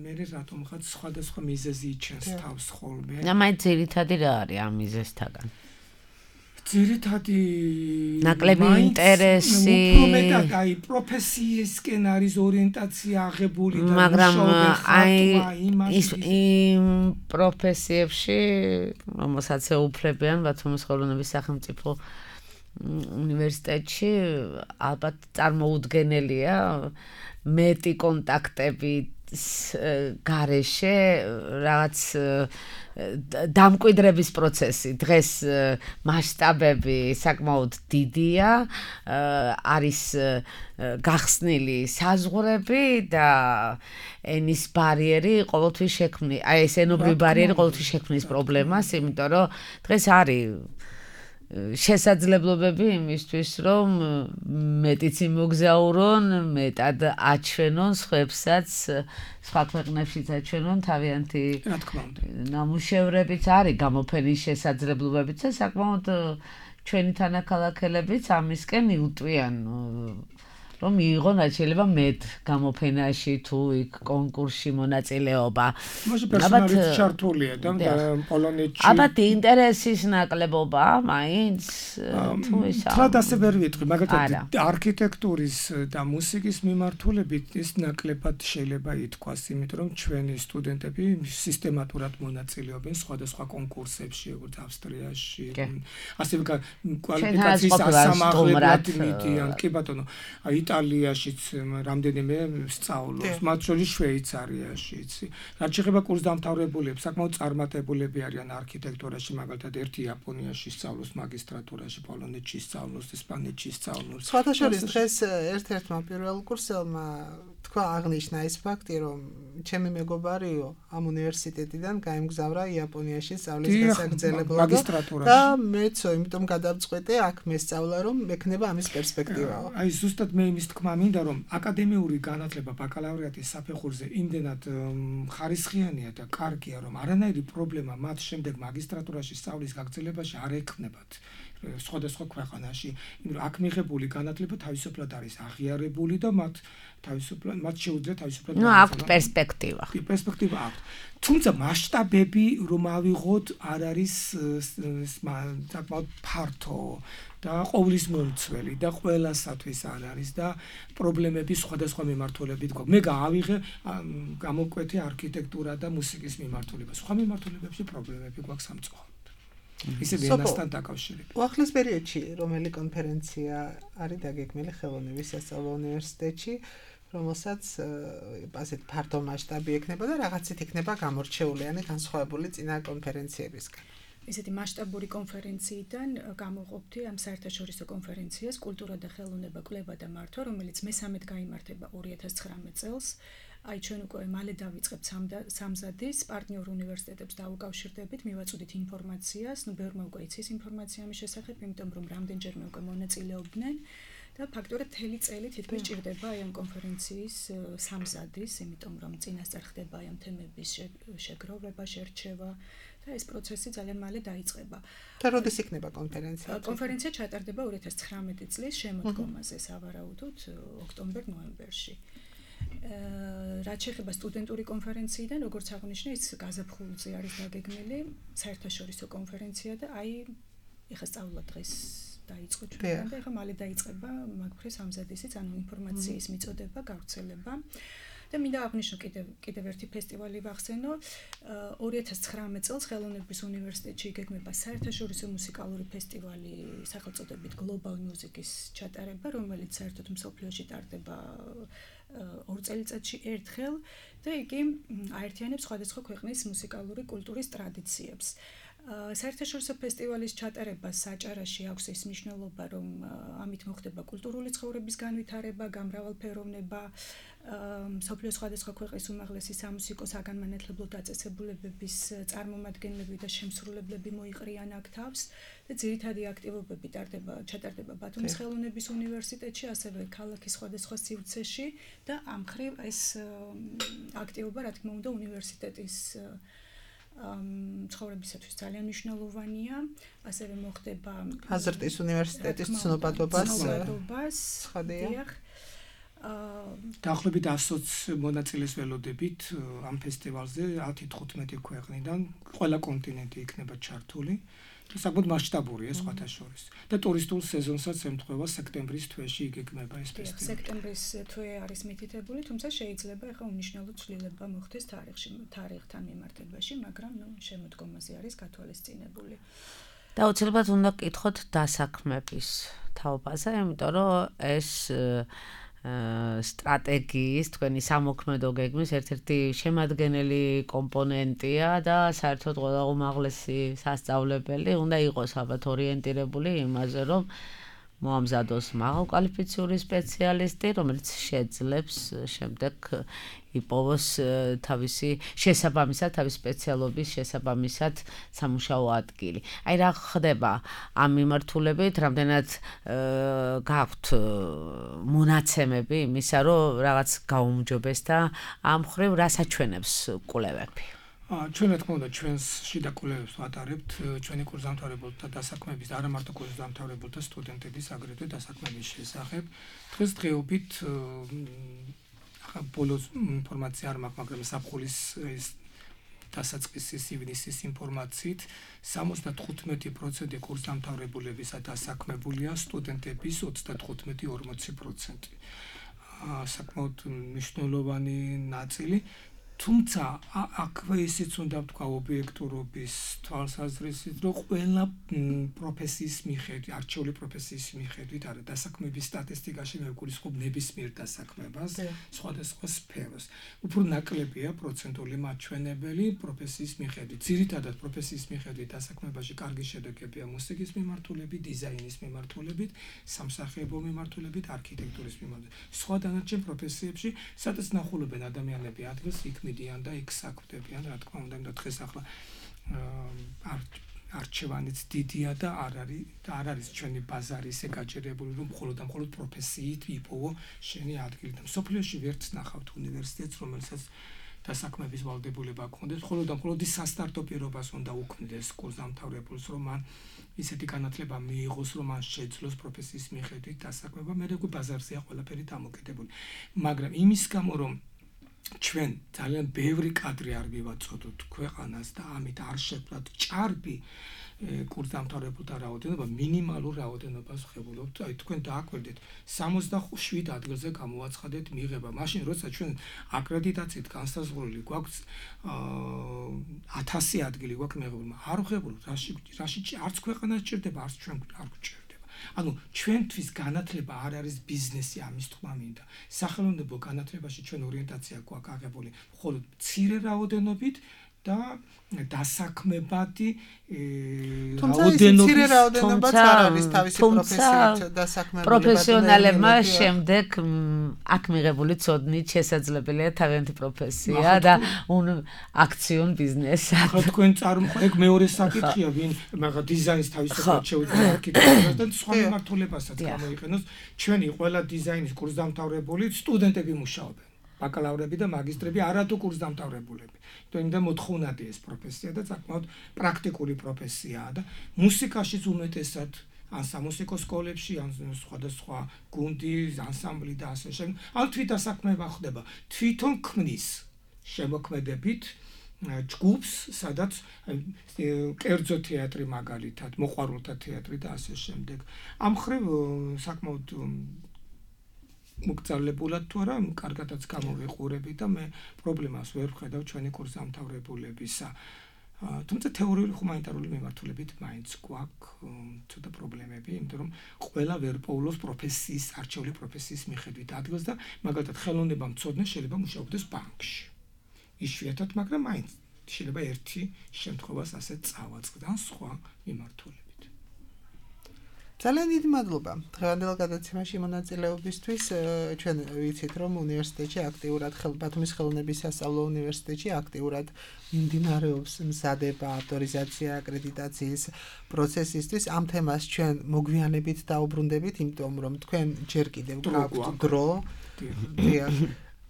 მე რატომღაც სხვადასხვა მიზეზი იჩენს თავს ხოლმე. და მაინც ძირითადი რა არის ამ მიზეზთაგან? ძირითადი ნაკლები ინტერესი, უფრო მეტად აი პროფესიისკენ არის ორიენტაცია აღებული და მაგრამ აი ის იმ პროფესიებში, რომელსაც ეუფლებიან ბათუმის ხელოვნების სახელმწიფო უნივერსიტეტში, ალბათ წარმოუდგენელია მეტი კონტაქტები გარეშე რაღაც დამკვიდრების პროცესი. დღეს მასშტაბები საკმაოდ დიდია, არის გახსნილი საზღვრები და ენის ბარიერი ყოველთვის შექმნის, აი ეს ენობრივი ბარიერი ყოველთვის შექმნის პრობლემას, იმიტომ რომ დღეს არის შესაძლებლობები იმისთვის, რომ მეტიც იმოგზაურონ, მეტად აჩვენონ სხვებსაც, სხვა ქვეყნებშიც აჩვენონ თავიანთი ნამუშევრებიც არის გამოფენის შესაძლებლობებიც და საკმაოდ ჩვენი თანაქალაქელებიც ამისკენ იუტვიან, რომ მიიღონ შეიძლება მეტ გამოფენაში თუ იქ კონკურსში მონაწილეობა. ალბათ ჩართულია და პოლონეთში. ალბათ ინტერესის ნაკლებობა მაინც თუ ისა. თლად ასე ვერ ვიტყვი, მაგალითად არქიტექტურის და მუსიკის მიმართულებით ეს ნაკლებად შეიძლება ითქვას, იმიტომ რომ ჩვენი სტუდენტები სისტემატურად მონაწილეობენ სხვადასხვა კონკურსებში, როგორც ავსტრიაში, ასევე კვალიფიკაციის ასამაღლებლად მიდიან. კი ბატონო, იტალიაშიც რამდენიმე სწავლობს, მათ შორის შვეიცარიაშიც. რაც შეეხება კურსდამთავრებულებს, საკმაოდ წარმატებულები არიან არქიტექტურაში, მაგალითად ერთი იაპონიაში სწავლობს მაგისტრატურაში, პოლონეთში სწავლობს, ესპანეთში სწავლობს. სხვათა შორის დღეს ერთ-ერთმა პირველ კურსელმა თქვა აღნიშნა ის ფაქტი, რომ ჩემი მეგობარიო ამ უნივერსიტეტიდან გაემგზავრა იაპონიაში სწავლის გასაგრძელებლად და მეცო, იმიტომ გადავწყვეტე აქ მესწავლა, რომ მექნება ამის პერსპექტივაა. აი ზუსტად მე იმის თქმა მინდა, რომ აკადემიური განათლება ბაკალავრიატის საფეხურზე იმდენად ხარისხიანია და კარგია, რომ არანაირი პრობლემა მათ შემდეგ მაგისტრატურაში სწავლის გაგრძელებაში არ ექნებათ. სხვადასხვა ქვეყანაში, იმიტომ რომ აქ მიღებული განათლება თავისუფლად არის აღიარებული და მათ შეუძლიათ თავისუფლად აქვს პერსპექტივა. პერსპექტივა აქვს. თუმცა მასშტაბები რომ ავიღოთ არ არის საკმაოდ ფართო და ყოვლის მომცველი და ყველასათვის არ არის და პრობლემები სხვადასხვა მიმართულებით გვაქვს. მე გავიღე გამოკვეთე არქიტექტურა და მუსიკის მიმართულება. სხვა მიმართულებებში პრობლემები გვაქვს სამწუხაროდ. ისე ენასთან დაკავშირებით. უახლეს პერიოდში რომელი კონფერენცია არის დაგეგმილი ხელოვნების სასწავლო უნივერსიტეტში, რომელსაც ასეთ ფართო მასშტაბი ექნება და რაღაცით იქნება გამორჩეული, ანუ განსხვავებული წინა კონფერენციებისგან. ესეთი მასშტაბური კონფერენციიდან გამოყოფთი ამ საერთაშორისო კონფერენციას კულტურა და ხელოვნება, კვლევა და მართვა, რომელიც მესამედ გაიმართება 2019 წელს. აი ჩვენ უკვე მალე დავიწყებთ სამზადის პარტნიორ უნივერსიტეტებს დაუკავშირდებით, მივაწვდით ინფორმაციას, ბევრმა უკვე იცის ინფორმაცია ამის შესახებ, იმიტომ რომ რამდენჯერმე უკვე მონაწილეობდნენ და ფაქტობრივად მთელი წელი თითქმის ჭირდება აი ამ კონფერენციის სამზადის, იმიტომ რომ წინასწარ ხდება აი ამ თემების შეგროვება, შერჩევა და ეს პროცესი ძალიან მალე დაიწყება. და როდის იქნება კონფერენცია? კონფერენცია ჩატარდება 2019 წლის შემოდგომაზე, სავარაუდოდ ოქტომბერ-ნოემბერში. რაც შეეხება სტუდენტური კონფერენციიდან, როგორც აღნიშნე, ის გაზაფხულზე არის დაგეგმილი, საერთაშორისო კონფერენცია და აი ეხლა სწავლა დღეს დაიწყო ჩვენთან და ეხლა მალე დაიწყება მაგფრის ამზადისიც, ანუ ინფორმაციის მიწოდება, გავრცელება. და მინდა აღნიშნო კიდევ ერთი ფესტივალი ვახსენო. 2019 წელს ხელოვნების უნივერსიტეტში იგეგმება საერთაშორისო მუსიკალური ფესტივალი სახელწოდებით Global Music-ის ჩატარება, რომელიც საერთოდ მსოფლიოში ტარდება 2 წელიწადში ერთხელ და იგი აერთიანებს სხვადასხვა ქვეყნის მუსიკალური კულტურის ტრადიციებს. საერთაშორისო ფესტივალის ჩატარებას საჭარაში აქვს ის მნიშვნელობა, რომ ამით მოხდება კულტურული ცხოვრების განვითარება, გამრავალფეროვნება, მსოფლიოს სხვადასხვა ქვეყნის უმაღლესი სამუსიკო საგანმანათლებლო დაწესებულებების წარმომადგენლები და შემსრულებლები მოიყრიან აქ თავს და ძირითადი აქტივობები ჩატარდება ბათუმის ხელოვნების უნივერსიტეტში, ასევე ქალაქის სხვადასხვა სივრცეში და ამ მხრივ ეს აქტივობა, რა თქმა უნდა, უნივერსიტეტის ცხოვრებისათვის ძალიან მნიშვნელოვანია, ასევე მოხდება აზრტის უნივერსიტეტის ცნობადობას ხადია. დაახლოებით 120 მონაწილეს ველოდებით ამ ფესტივალზე 10-15 ქვეყნიდან, ყველა კონტინენტი იქნება ჩართული. საკმაოდ მასშტაბურია სხვათა შორის. და ტურისტულ სეზონსაც ემთხვევა სექტემბრის თვეში იგეგმება ეს ფესტივალი. სექტემბრის თვე არის მითითებული, თუმცა შეიძლება ახლა უნიშნელო ცვლილება მოხდეს თარიღთან მიმართებაში, მაგრამ შემოდგომაზე არის გათვალისწინებული. და უცებად უნდა გკითხოთ დასაქმების თაობაზე, იმიტომ რომ ეს სტრატეგიის, თქვენი სამოქმედო გეგმის ერთ-ერთი შემადგენელი კომპონენტია და საერთოდ ყველა უმაღლესი სასწავლებელი უნდა იყოს ალბათ ორიენტირებული იმაზე, რომ მოამზადოს მაღალკვალიფიციური სპეციალისტი, რომელიც შეძლებს შემდეგ იპოვოს თავისი შესაბამისად, თავის სპეციალობის შესაბამისად სამუშაო ადგილი. აი რა ხდება ამ მიმართულებით, რამდენად გაქვთ მონაცემები იმისა, რომ რაღაც გაუმჯობეს და ამ ხრივ რა საჩვენებს კვლევები? ჩვენ რა თქმა უნდა ჩვენს შიდა კვლევებს ვატარებთ ჩვენი კურსდამთავრებელთა დასაქმების და არა მარტო კურსდამთავრებელთა სტუდენტების აგრეთვე დასაქმების შესახებ. დღესდღეობით ბოლოს ინფორმაცია არ მაქვს, მაგრამ საფხულის დასაწყისის ივნისის ინფორმაციით 75% კურსდამთავრებულებისა დასაქმებულია, სტუდენტების 35-40%. საკმაოდ მნიშვნელოვანი ნაწილი. თუმცა აქვე ისიც უნდა ვთქვა ობიექტურობის თვალსაზრისით, რომ ყველა პროფესიის მიხედვით, არჩეული პროფესიის მიხედვით, არა დასაქმების სტატისტიკაში მე ვგულისხმობ ნებისმიერ დასაქმებას, სხვადასხვა სფეროს. უფრო ნაკლებია პროცენტული მაჩვენებელი პროფესიის მიხედვით. ძირითადად პროფესიის მიხედვით დასაქმებაში კარგი შედეგებია მუსიკის მიმართულებით, დიზაინის მიმართულებით, სამსახიობო მიმართულებით, არქიტექტურის მიმართულებით. სხვა დანარჩენ პროფესიებში, სადაც ნახულობენ ადამიანები ადგილს იქ მიდიან და იქ საქმდებიან, რა თქმა უნდა, დღეს ახლა არჩევანიც დიდია და არ არის ჩვენი ბაზარი ისე გაჭირებული, რომ მხოლოდ პროფესიით იპოვო შენი ადგილი. და მსოფლიოში ვერც ნახავთ უნივერსიტეტს, რომელსაც დასაქმების ვალდებულება გქონდეს, მხოლოდ ის სასტარტო პირობას უნდა უქმნდეს კურსდამთავრებულს, რომ მან ისეთი განათლება მიიღოს, რომ მან შეძლოს პროფესიის მიხედვით დასაქმება, მე როგორ ბაზარზეა ყველაფერი დამოკიდებული. მაგრამ იმის გამო, რომ ჩვენ ძალიან ბევრი კადრი არ მივაწოდოთ ქვეყანას და ამით არ შეძლოთ ჭარბი კურსდამთავრებულთა რაოდენობა, მინიმალურ რაოდენობას ვხებულობთ. აი თქვენ დააკვირდით 67 ადგილზე გამოვაცხადეთ მიღება. მაშინ როცა ჩვენ აკრედიტაციით განსაზღვრული გვაქვს 1000 ადგილი გვაქვს მიღებული. არ ვხებულობთ, რაში არც ქვეყანა სჭირდება, არც ჩვენ არ გვჭირდება. ანუ ჩვენთვის განათლება არ არის ბიზნესი, ამის თქმა მინდა. სახელმწიფო განათლებაში ჩვენ ორიენტაცია გვაქვს აღებული მხოლოდ მცირე რაოდენობით და დასაქმებადი რაოდენობაც არ არის თავისი პროფესიით დასაქმებულებად პროფესიონალებმა შემდეგ აქ მიღებული ცოდნით შესაძლებელია თავიანთი პროფესია და აქციონ ბიზნესად. ხო თქვენ ეგ მეორე საკითხია ვინ მაგა დიზაინს თავისუფლად შეუძლია არქიტექტურას და სხვა მიმართულებასაც გამოიყენოს. ჩვენი ყველა დიზაინის კურსდამთავრებული სტუდენტები მუშაობენ. ბაკალავრები და მაგისტრები არათუ კურსდამთავრებულები. იმიტომ მოთხოვნადი ეს პროფესია და საკმაოდ პრაქტიკული პროფესიაა და მუსიკაშიც უმეტესად ან სამუსიკო სკოლებში, ან სხვადასხვა გუნდი, ანსამბლი და ასე შემდეგ, ან თვითდასაქმება ხდება. თვითონ ქმნის შემოქმედებით ჯგუფს, სადაც კერძო თეატრი მაგალითად, მოყვარულთა თეატრი და ასე შემდეგ. ამ მხრივ საკმაოდ მოგწარლებულად თუ არა, კარგადაც გამოვიყურები და მე პრობლემას ვერ ვხედავ ჩვენი კურსდამთავრებულებისა. თუმცა თეორიული ჰუმანიტარული მიმართულებით მაინც გვაქვს ცოტა პრობლემები, იმიტომ რომ ყველა ვერ პოულობს პროფესიის, არჩეული პროფესიის მიხედვით ადგილს და მაგალითად ხელოვნება მცოდნე შეიძლება მუშაობდეს ბანკში. იშვიათად, მაგრამ მაინც შეიძლება ერთი შემთხვევას ასე წავაწყდა სხვა მიმართულებით. ძალიან დიდი მადლობა დღევანდელ გადაცემაში მონაწილეობისთვის. ჩვენ ვიცით, რომ უნივერსიტეტში აქტიურად ბათუმის ხელოვნების სასწავლო უნივერსიტეტში აქტიურად მიმდინარეობს მზადება, ავტორიზაცია, აკრედიტაციის პროცესისთვის. ამ თემას ჩვენ მოგვიანებით დაუბრუნდებით, იმიტომ რომ თქვენ ჯერ კიდევ გაქვთ დრო.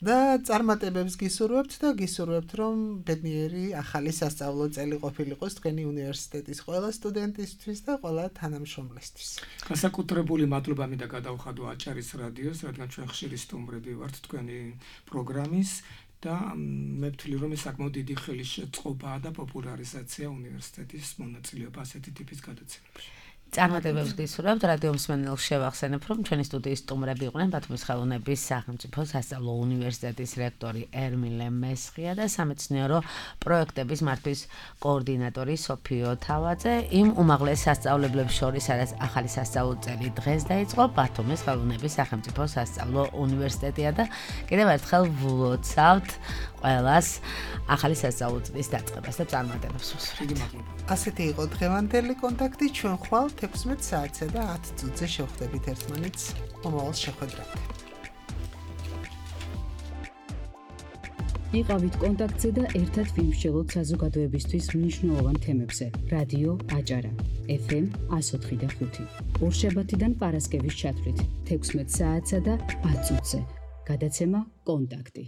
და წარმატებებს გისურვებთ და გისურვებთ, რომ ბედნიერი ახალი სასწავლო წელი ყოფილიყოს თქვენი უნივერსიტეტის ყველა სტუდენტისთვის და ყველა თანამშრომლისთვის. განსაკუთრებული მადლობა მინდა გადავხადო აჭარის რადიოს, რადგან ჩვენ ხშირი სტუმრები ვართ თქვენი პროგრამის და მე ვთვლი, რომ ეს საკმაოდ დიდი ხელისშეწყობაა და პოპულარიზაცია უნივერსიტეტის მონაწილეობა ასეთი ტიპის გადაცემებში. წარმატებებს გისურვებთ. რადიო მსმენელს შევახსენებ, რომ ჩვენი სტუდიის სტუმრები იყვნენ ბათუმის ხელოვნების სახელმწიფო სასწავლო უნივერსიტეტის რექტორი ერმილე მესხია და სამეცნიერო პროექტების მართვის კოორდინატორი სოფიო თავაძე. იმ უმაღლეს სასწავლებლებს შორის, სადაც ახალი სასწავლო წელი დღეს დაიწყო, ბათუმის ხელოვნების სახელმწიფო სასწავლო უნივერსიტეტია და კიდევ ერთხელ ვლოცავთ ყველას ახალი სასწავლო წლის დაწყებას და წარმატებებს ვუსურვებთ. ასეთი იყო დღევანდელი კონტაქტი. ჩვენ ხვალ 16 საათზე და 10 წუთზე შევხვდებით ერთმანეთს. მომავალ შეხვედრამდე. იყავით კონტაქტზე და ერთად ვიმსჯელოთ საზოგადოებისთვის მნიშვნელოვან თემებზე. რადიო აჭარა FM 104.5 ორშაბათიდან პარასკევის ჩათვლით 16 საათსა და 10 წუთზე. გადაცემა კონტაქტი.